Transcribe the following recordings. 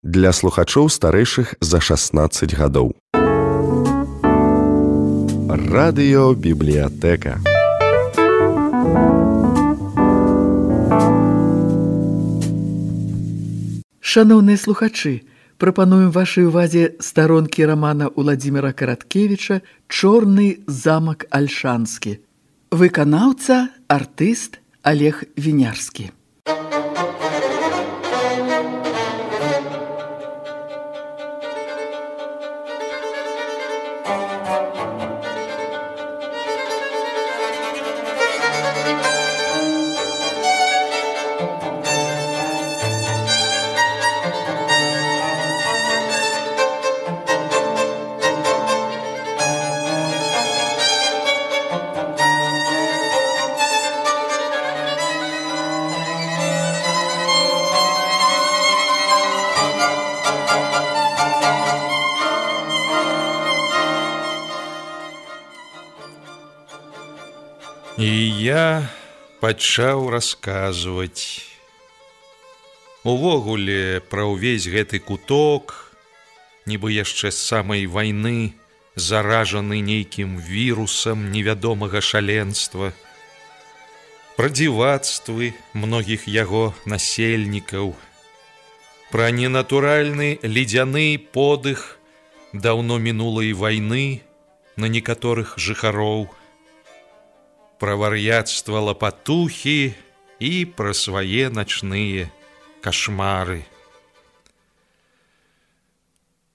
для слухачоў старэйшых за 16 гадоў. Радыёбібліятэка. Шаноўныя слухачы, прапануем вашай увазе старонкі рамана Уладзіміра Караткевіча «Чорны замак Альшанскі». Выканаўца, артыст Олег Вінярскі. І я пачаў расказваць. Увогуле, пра ўвесь гэты куток, нібы яшчэ з самай вайны, заражаны нейкім вірусам невядомага шаленства, пра дзівацтвы многіх яго насельнікаў, пра ненатуральны ледзяны подых даўно мінулай вайны на некаторых жыхароў, пра вар'яцтва лапатухі і пра свае начныя кашмары.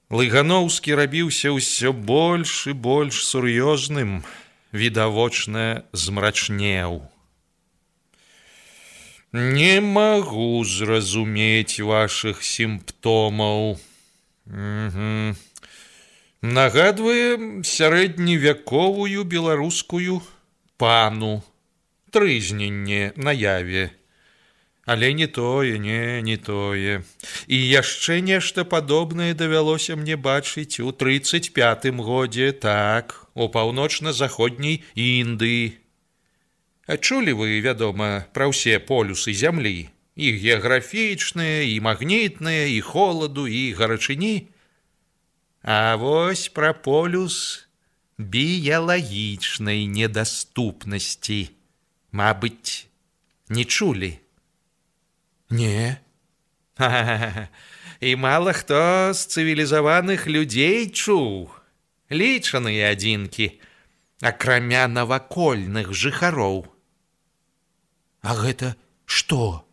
Лыгановскі рабіўся ўсё больш і больш сур'ёзным, відавочна змрачнеў. Не магу зразумець вашых сімптомаў. Нагадвае сярэдневяковую беларускую пану, трызненне на яве. Але не тое, не тое. І яшчэ нешта падобнае давялося мне бачыць у 35-м годзе, так, у паўночна-заходняй Індыі. А чулі вы, вядома, пра ўсе полюсы зямлі? І геаграфічныя, і магнітныя, і холаду, і гарачыні? А вось пра полюс біялагічнай недаступнасці, мабыць, не чулі? Не. І мала хто з цывілізаваных людзей чуў. Лічаныя адзінкі, акрамя навакольных жыхароў. А гэта што?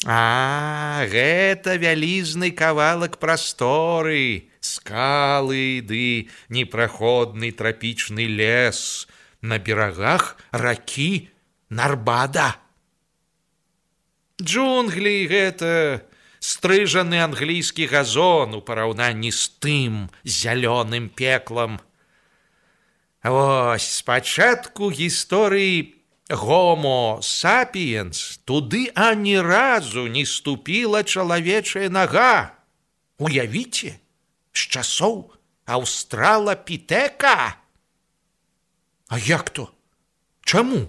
Гэта вялізны кавалак прасторы, скалы ды непраходны трапічны лес на берагах ракі Нарбада. Джунглі гэта стрыжаны англійскі газон у параўнанні з тым зялёным пеклам. Вось, спачатку гісторыі Homo sapiens туды ані разу не ступіла чалавечая нага. Уявіце, з часоў аўстралапітэка. А як то? Чаму?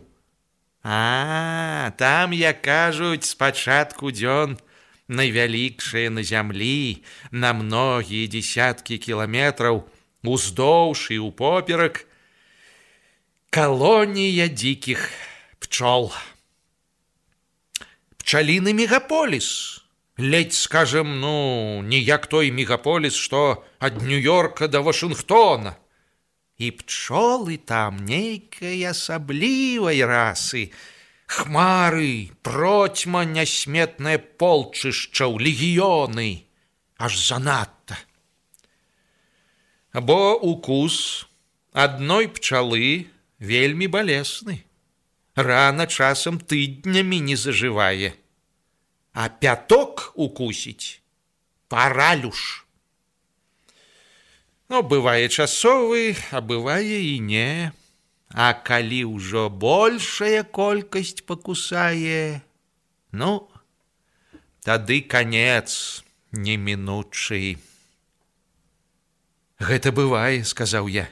Там, як кажуць, спачатку дзён найвялікшая на зямлі, на многія дзесяткі кіламетраў уздоўж і ўпоперак калонія дзікіх пчол. Пчаліны мегаполіс. Ледзь, скажем, не як той мегаполіс, што ад Нью-Йорка да Вашынгтона. І пчолы там нейкай асаблівай расы. Хмары, процьма нясметнае полчышчаў, легіёны. Аж занадта. Бо укус адной пчалы вельмі балесны. Рана часам тыднямі не зажывае. А пяток укусіць паралюш. Бывае часовы, а бывае і не. А калі ўжо большая колькасць пакусае, тады канец немінучы. Гэта бывае, сказаў я.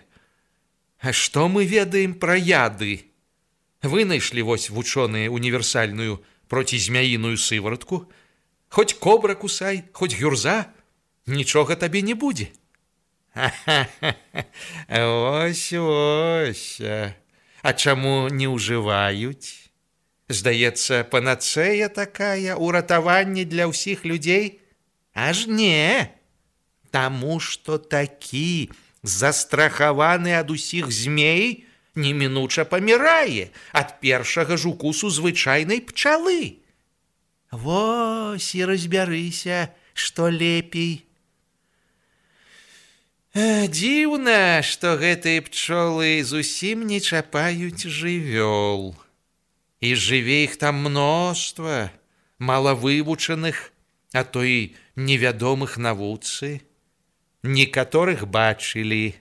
А што мы ведаем пра яды? Вынайшлі вось вучоныя універсальную процізмяіную сываратку, Хоць кобра кусай, хоць гюрза, нічога табе не будзе. Ось, ось. А чаму не ўжываюць? Здаецца, панацэя такая, уратаванне для ўсіх людзей? Аж не. Таму што такі застрахаваны ад усіх змей немінуча памірае ад першага ж укусу звычайнай пчалы. Вось і разбярыся, што лепей. Дзіўна, што гэтыя пчолы зусім не чапаюць жывёл. І жыве іх там мноства, малавывучаных, а то і невядомых навуцы. Некаторых бачылі.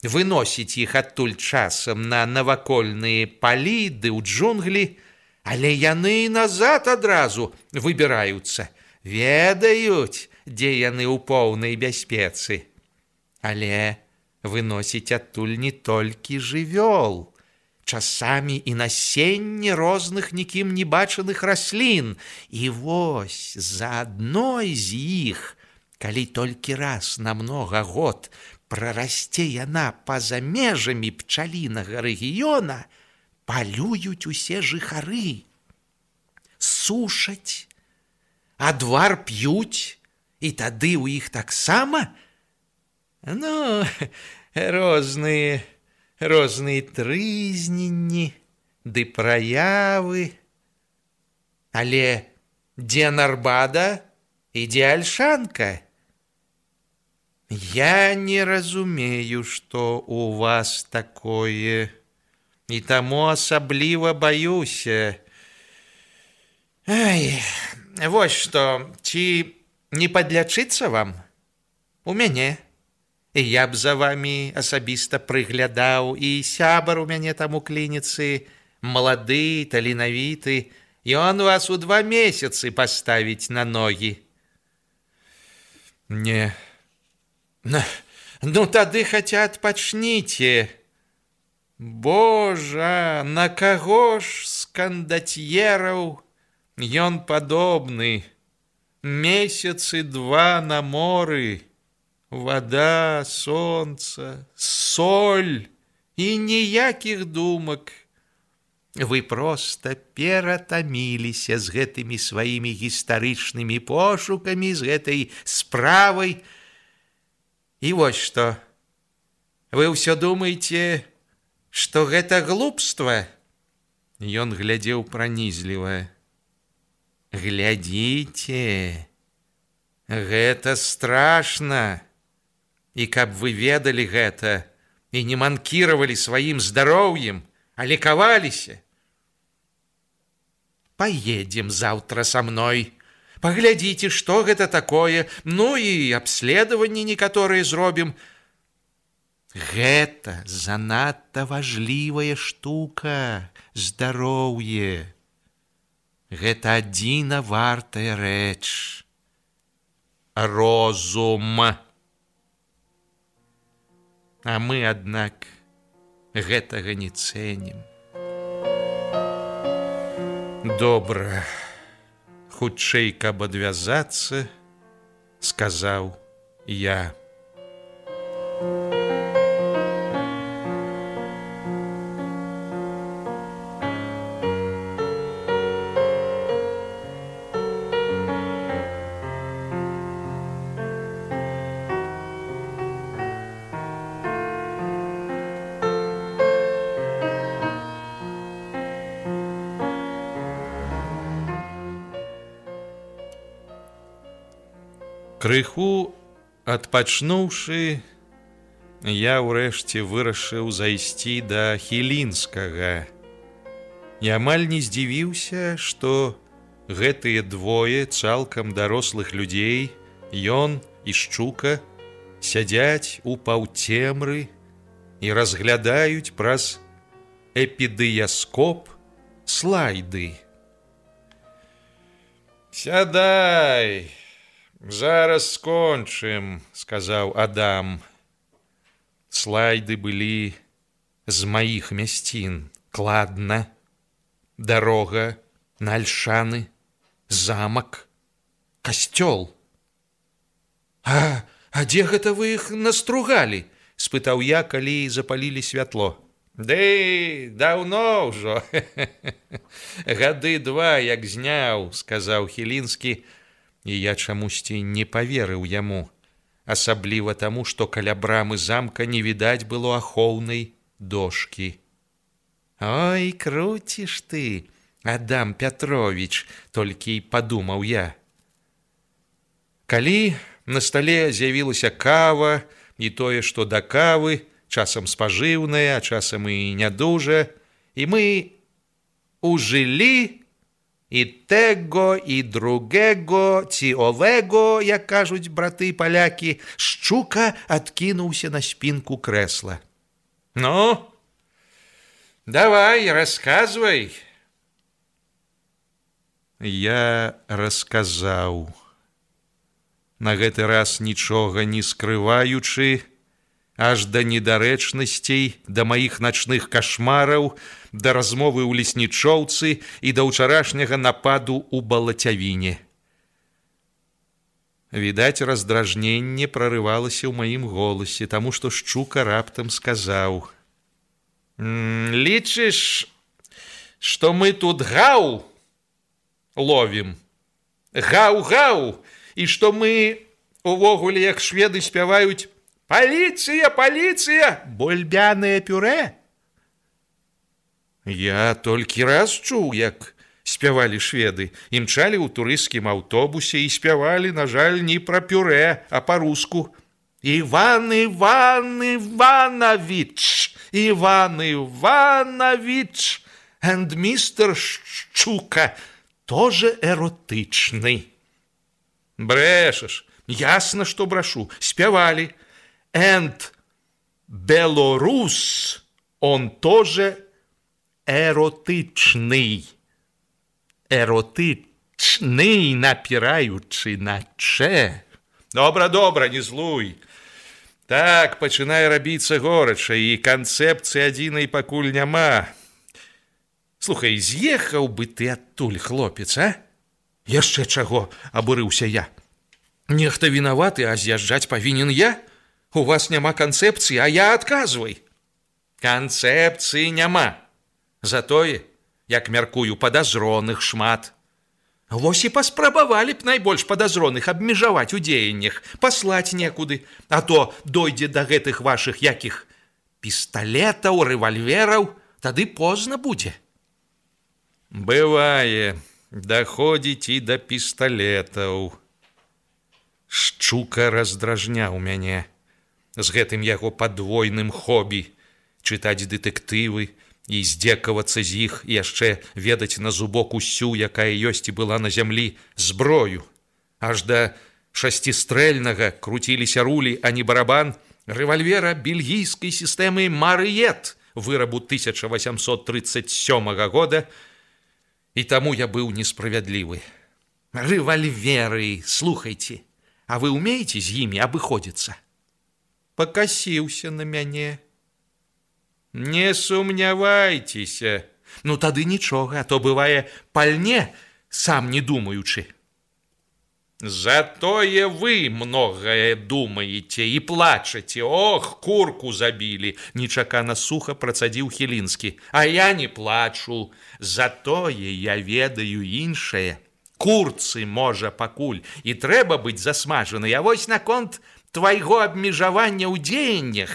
Выносіць іх адтуль часам на навакольныя палі ды ў джунглі, але яны назад адразу выбіраюцца, ведаюць, дзе яны ў поўнай бяспецы. Але выносіць адтуль не толькі жывёл, часамі і насенне розных нікім не бачаных раслін. І вось за адной з іх, калі толькі раз на многа год прарасце яна па-за межамі пчалінага рэгіёна, палююць усе жыхары, сушаць, адвар п'юць, і тады ў іх таксама, розныя трызненні ды праявы. Але дзе Нарбада і дзе Альшанка? Я не разумею, што у вас такое, і таму асабліва баюся. Вось што, ці не падлячыцца вам? У мяне. І я б за вамі асабіста прыглядаў, і сябар у мяне там у клініцы, малады, таленавіты, ён вас у 2 месяцы паставіць на ногі. Не. Тады хаця адпачніце. Божа, на каго ж з кандацьераў ён падобны? Месяцы 2 на моры, вада, сонца, соль і ніякіх думак. Вы проста ператаміліся з гэтымі сваімі гістарычнымі пошукамі, з гэтай справай. І вось што, вы ўсё думаеце, што гэта глупства? Ён глядзеў пранізліва. Глядзіце, гэта страшна. І каб вы ведалі гэта і не манкіравалі сваім здароўем, а лекаваліся. Паедзем заўтра са мной. Паглядзіце, што гэта такое, і абследаванні некаторыя зробім. Гэта занадта важлівая штука, здароўе. Гэта адзіна вартая рэч. Розум. А мы, аднак, гэтага не цэнім. Добра. Хутчэй, каб адвязацца, сказаў я. Крыху адпачнуўшы, я ўрэшце вырашыў зайсці да Хілінскага. І амаль не здзівіўся, што гэтыя двое цалкам дарослых людзей, ён і Шчука, сядзяць у паўцемры і разглядаюць праз эпідыяскоп слайды. «Сядай! Зараз скончым», — сказаў Адам. Слайды былі з маіх мясцін. Кладна, дарога на Альшаны, замак, касцёл. А дзе гэта вы іх настругалі? Спытаў я, калі запалілі святло. Ды даўно ўжо. Гады 2, як зняў, сказаў Хілінскі, і я чамусьці не паверыў яму, асабліва таму, што каля брамы замка не відаць было ахоўнай дошкі. Ой, круціш ты, Адам Пятрович, толькі і падумаў я. Калі на стале з'явілася кава, і тое, што да кавы, часам спажыўная, а часам і не дужа, і мы ужылі і тэго, і другего, ці овего, як кажуць браты-палякі, Шчука адкінуўся на спінку крэсла. Ну, давай, расказвай. Я расказаў. На гэты раз нічога не скрываючы, аж да недарэчнасцей, да маіх начных кашмараў, да размовы ў леснічоўцы і да ўчарашняга нападу ў балацявіне. Відаць, раздражненне прарывалася ў маім голасе, таму што Шчука раптам сказаў: лічыш, што мы тут гаў ловім? Гаў-гаў! І што мы увогуле, як шведы спяваюць: «Паліцыя, паліцыя! Бульбянае пюрэ!» Я толькі раз чуў, як спявалі шведы. Імчалі ў турысцкім аўтобусе і спявалі, на жаль, не пра пюрэ, а па-руску. «Іван Иванович! Иван Иванович! And мистер Шчука тоже эротычный!» Брэшаш, ясна, што брашу. Спявалі. «And белорус, он тоже эротычный». Эротычный, напіраючы на чэ. Добра, не злуй. Так, пачынае рабіцца горача, і канцэпцыі адзінай пакуль няма. Слухай, з'ехаў бы ты адтуль, хлопец, а? Яшчэ чаго, абурыўся я. Нехта вінаваты, а з'язджаць павінен я? У вас няма канцэпцыі, а я адказвай. Канцэпцыі няма. Затое, як мяркую, падазроных шмат. Вось і паспрабавалі б найбольш падазроных абмежаваць у дзеяннях, паслаць некуды, а то дойдзе да гэтых вашых якіх пісталетаў, рэвальвераў, тады позна будзе. Бывае. Даходзіць і да пісталетаў. Шчука раздражняў мяне з гэтым яго падвойным хобі чытаць дэтэктывы і здзекавацца з іх і яшчэ ведаць на зубок усю, якая ёсць і была на зямлі, зброю. Аж да шасцістрэльнага круціліся рулі, а не барабан, рэвальвера бельгійскай сістэмы «Марыет» вырабу 1837 года, і таму я быў несправядлівы. Рэвальверы, слухайце, а вы умееце з імі абыходзіцца? Пакасіўся на мяне. Не сумнявайцеся. Ну тады нічога, а то бывае пальне, сам не думаючы. Затое вы многае думаеце і плачаце. Ох, курку забілі, нечакана суха працадзіў Хілінскі. А я не плачу. Затое я ведаю іншае. Курцы, можа, пакуль і трэба быць засмажанай, а вось наконт твайго абмежавання ў дзеяннях.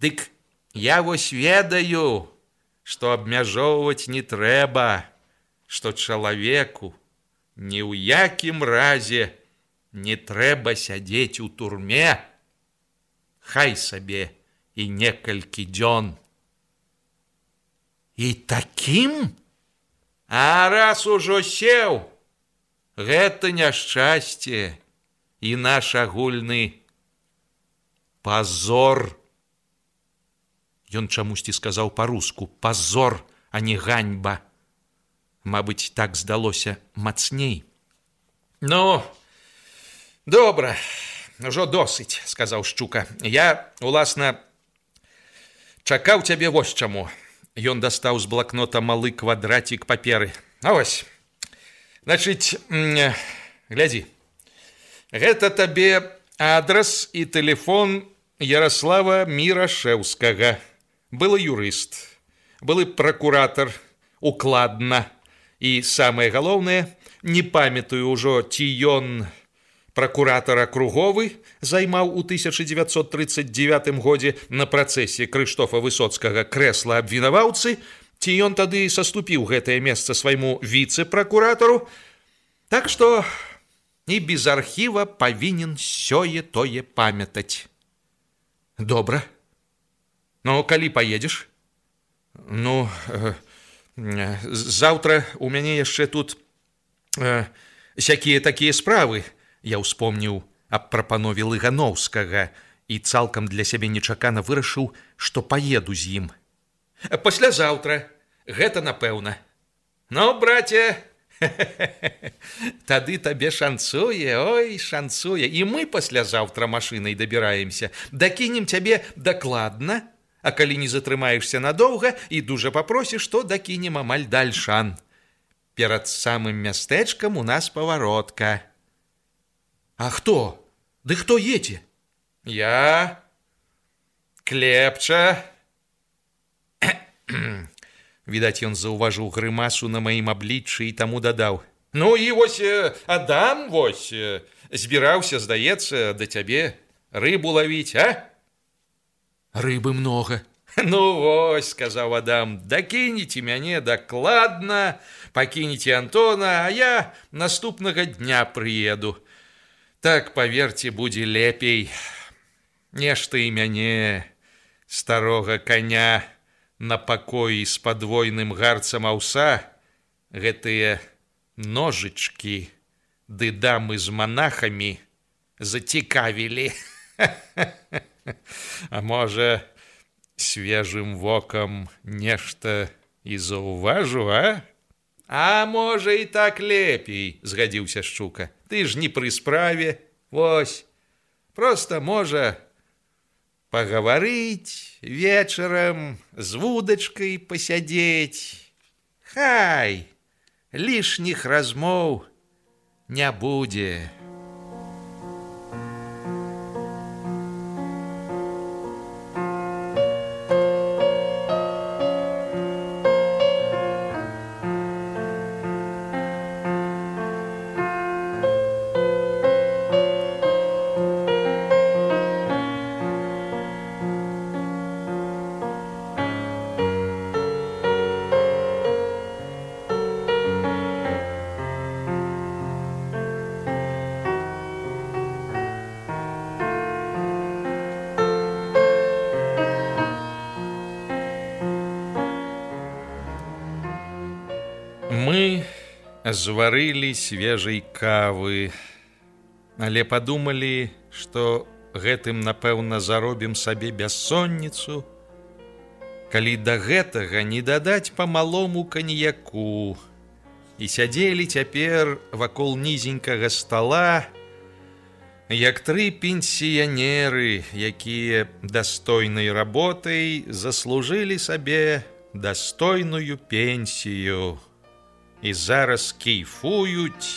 Дык я вось ведаю, што абмяжоўваць не трэба, што чалавеку ні ў якім разе не трэба сядзець у турме, хай сабе і некалькі дзён. І такім? А раз ужо сеў, гэта няшчасце і наш агульны пазор. Ён чамусьці сказаў па-руску «пазор», а не «ганьба». Мабыць, так здалося мацней. Ну, добра, ужо досыць, сказаў Шчука. Я, уласна, чакаў цябе вось чаму. Ён дастаў з блакнота малы квадрацік паперы. А вось, значыць, глядзі. Гэта табе адрас і тэлефон Ярослава Мірашэўскага. Былы юрыст, былы пракуратар, укладна. І самае галоўнае, не памятаю ўжо, ці ён пракуратар акруговы займаў у 1939 годзе на працэсе Крыштофа Высоцкага крэсла абвінаваўцы, ці ён тады саступіў гэтае месца свайму віцэ-пракуратару. Так што і без архіва павінен сёе-тое памятаць. Добра. Ну, калі паедзеш? Ну, заўтра у мяне яшчэ тут сякія такія справы. Я ўспомніў аб прапанове Лыгановскага і цалкам для сябе нечакана вырашыў, што паеду з ім. Паслязаўтра, гэта напэўна. Ну, браце, тады табе шанцуе, ой, шанцуе. І мы паслязаўтра машынай дабіраемся. Дакінем цябе дакладна, а калі не затрымаешся надоўга і дужа папросіш, то дакінем амаль да Альшан. Перад самым мястэчкам у нас паваротка. А хто? Ды хто едзе? Я, Клепча. Відаць, ён заўважыў грымасу на маім абліччы і таму дадаў. Ну і вось Адам, вось, збіраўся, здаецца, да цябе рыбу лавіць, а? Рыбы многа. Ну вось, сказаў Адам, дакінеце мяне дакладна, пакінеце Антона, а я наступнага дня прыеду. Так, паверце, будзе лепей. Нешта і мяне, старога коня, на пакоі з падвойным гарцам аўса, гэтыя ножычкі ды дамы з монахамі зацікавілі. А можа, свежым вокам нешта і заўважу, а? А можа, і так лепей, згадзіўся Шчука. Ты ж не пры справе, вось. Проста можа пагаварыць вечарам, з вудачкай пасядзець. Хай, лішніх размоў не будзе. Мы зварылі свежай кавы, але падумалі, што гэтым, напэўна, заробім сабе бяссонніцу, калі да гэтага не дадаць па малому каньяку. І сядзелі цяпер вакол нізенькага стала, як тры пенсіянеры, якія дастойнай работай заслужылі сабе дастойную пенсію. І зараз кайфуюць,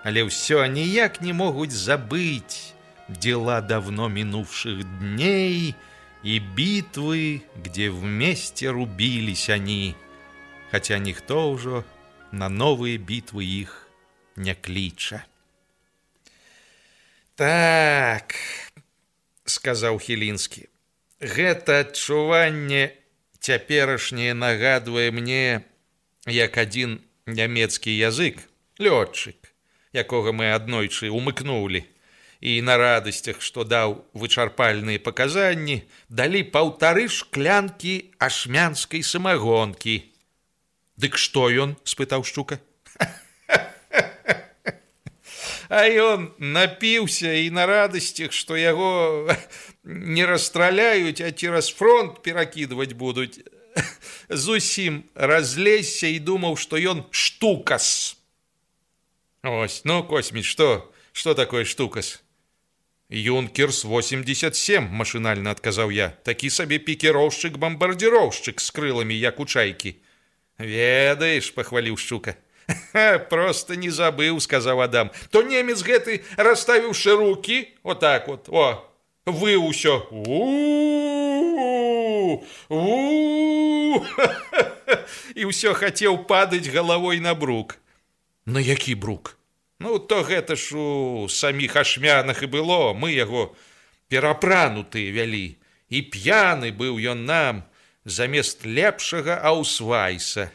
але ўсё ніяк не могуць забыць дела давно минувших дней и битвы, где вместе рубились они, хотя никто уже на новые битвы их не кліча. Так, сказаў Хілінскі, гэта адчуванне цяперашняе нагадвае мне, як адзін нямецкі язык, лётчык, якога мы аднойчы умыкнулі, і на радасцях, што даў вычарпальныя паказанні, далі 1,5 шклянкі ашмянскай самагонкі. Дык што ён? Спытаў Шчука. А ён напіўся і на радасцях, што яго не расстраляюць, а цераз фронт перакідваць будуць, зусім разлезся і думаў, што ён штукас. Ось, ну, Косьміч, што такое штукас? Юнкерс 87, машынальна адказаў я. Такі сабе пікіроўшчык-бамбардзіроўшчык з крыламі, як у чайкі. Ведаеш, пахваліў Шчука, Просто не забыў, сказаў Адам. То немец гэты, расставіўшы рукі, вот так вот, вы ўсё. І ўсё хацеў падаць галавой на брук. На які брук? Ну, то гэта ж у саміх ашмянах і было. Мы яго перапранутыя вялі. І п'яны быў ён нам замест лепшага аўсвайса.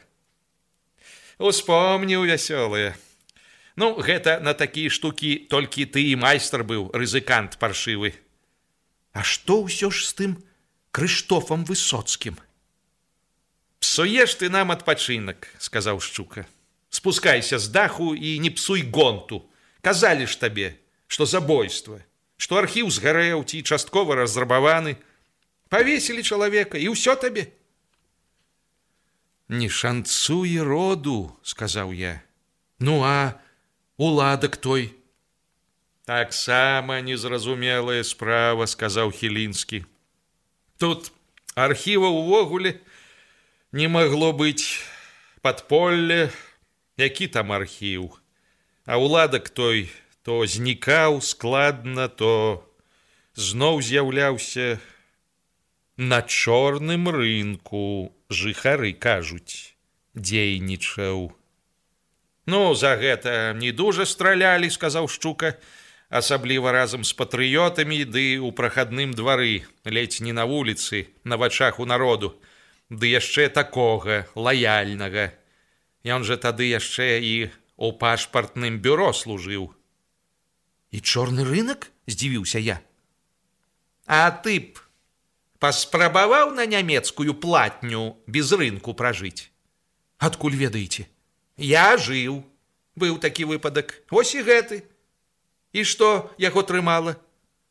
Успомніў вясёлыя. Ну, гэта на такія штукі толькі ты і майстар быў, рызыкант паршывы. А што ўсё ж з тым Крыштофам Высоцкім? Псуеш ты нам адпачынак, сказаў Шчука. Спускайся з даху і не псуй гонту. Казалі ж табе, што забойства, што архіў згарэў ці часткова разрабаваны. Павесілі чалавека, і ўсё табе. Не шанцуе роду, сказаў я. Ну, а уладак той? Таксама незразумелая справа, сказаў Хілінскі. Тут архіва ўвогуле не магло быць, падполле, які там архіў. А уладак той то знікаў складна, то зноў з'яўляўся. На чорным рынку, жыхары кажуць, дзейнічаў. Ну, за гэта не дужа стралялі, сказаў Шчука, асабліва разам з патрыётамі, ды ў прахадным двары, ледзь не на вуліцы, на вачах у народу, ды яшчэ такога, лаяльнага. Ён жа тады яшчэ і ў пашпартным бюро служыў. І чорны рынак? Здзівіўся я. А ты б паспрабаваў на нямецкую платню без рынку пражыць? Адкуль ведаеце? Я жыў. Быў такі выпадак. Вось і гэты. І што яго трымала?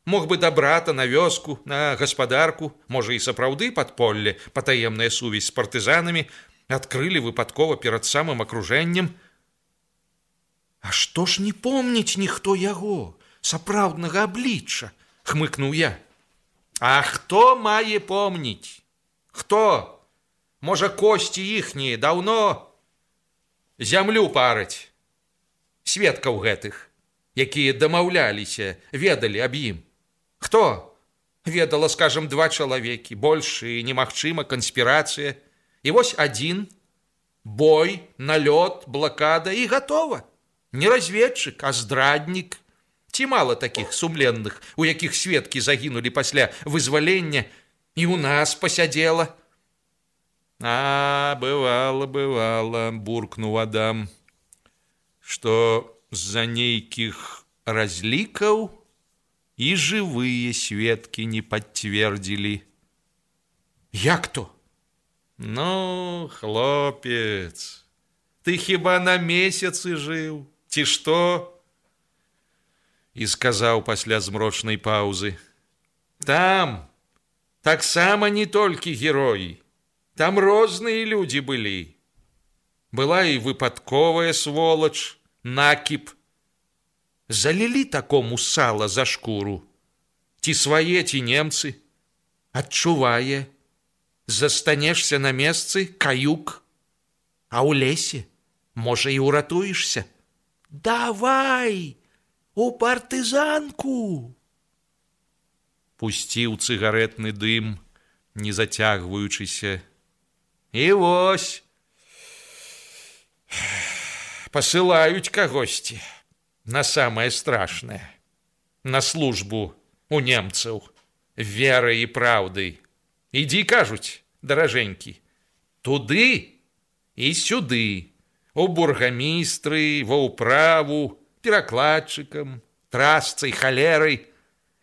Мог бы да брата на вёску, на гаспадарку, можа і сапраўды падполле, патаемная сувязь з партызанамі, адкрылі выпадкова перад самым акружэннем. А што ж не помніць ніхто яго, сапраўднага аблічча, хмыкнуў я. А хто мае помніць? Хто? Можа, косці іхнія даўно зямлю параць. Сведкаў гэтых, якія дамаўляліся, ведалі аб ім. Хто? Ведала, скажам, 2 чалавекі, больш і немагчыма канспірацыя. І вось адзін, бой, налёт, блакада і гатова. Не разведчык, а здраднік. Ці мала такіх сумленных, у якіх сведкі загінулі пасля вызвалення, і ў нас пасядзела? А, бывала, буркнуў Адам, што з-за нейкіх разлікаў і жывыя сведкі не пацвердзілі. Як то? Ну, хлопец, ты хіба на месяцы жыў, ці што? І сказаў пасля змрочнай паўзы. Там таксама не толькі героі, там розныя людзі былі. Была і выпадковая сволач, накіп. Залілі такому сала за шкуру. Ці свае, ці немцы. Адчувае. Застанешся на месцы, каюк. А ў лесе, можа, і ўратуешся. Давай! У партызанку! Пусціў цыгаретны дым, не зацягваючыся. І вось пасылаюць кагосьці на самае страшнае, на службу у немцаў верай і праўдай. Ідзі, кажуць, даражэнькі, туды і сюды, у бургамістры, ва ўправу, перакладчыкам, трасцай, халерай.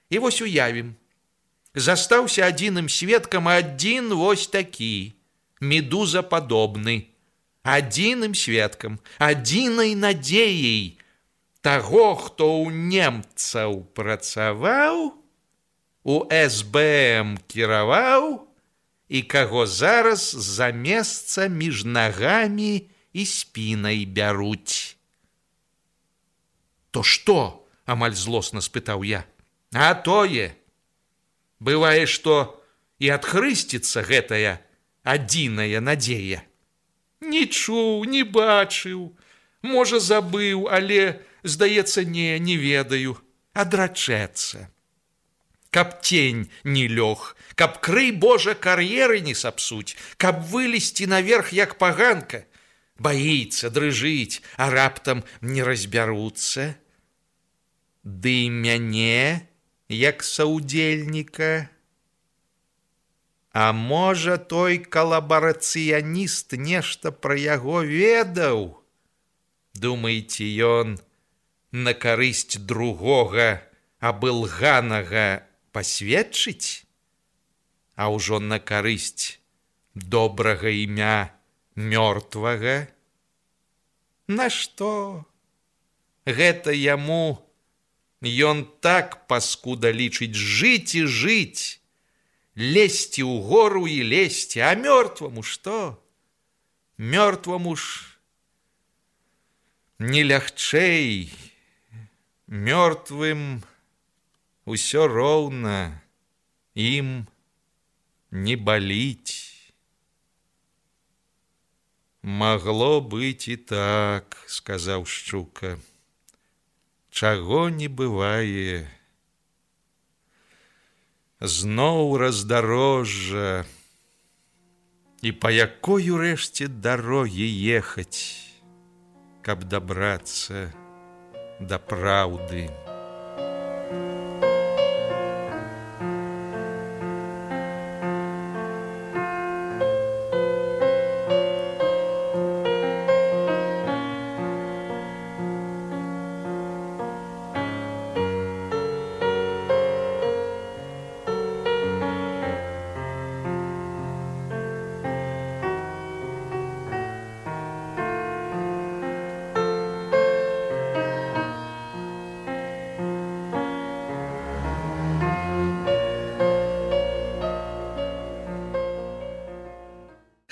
І вось уявім. Застаўся адзіным сведкам адзін вось такі, медузападобны. Адзіным сведкам, адзінай надзеяй таго, хто ў немцаў працаваў, у СБМ кіраваў і каго зараз за месца між нагамі і спінай бяруць. То што? Амаль злосна спытаў я. А тое. Бывае, што і адхрысціцца гэтая адзіная надзея. Не чуў, не бачыў. Можа, забыў, але, здаецца, не ведаю. Адрачэцца. Каб тень не лёг, каб, крый Божа, кар'еры не сапсуць, каб вылезці наверх, як паганка. Баіцца, дрыжыць, а раптам не разбяруцца. Ды мяне, як саўдзельніка. А можа, той калабарацыяніст нешта пра яго ведаў? Думаеце, ён на карысць другога абылганага пасведчыць? А ўжо на карысць добрага імя мёртвага? Нашто? Гэта яму ён так паскуда лічыць жыць і жыць, лезці ў гору і лезці, а мёртваму што? Мёртваму ж не лягчэй, мёртвым усё роўна, ім не баліць. Магло быць і так, сказаў Шчука. Чаго не бывае. Зноў раздарожжа. І па якой урэшце дарогі ехаць, каб дабрацца да праўды.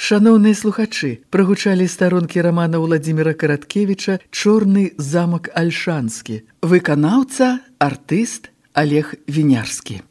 Шаноўныя слухачы, прагучалі старонкі рамана Уладзіміра Караткевіча «Чорны замак Альшанскі». Выканаўца, артыст Олег Вінярскі.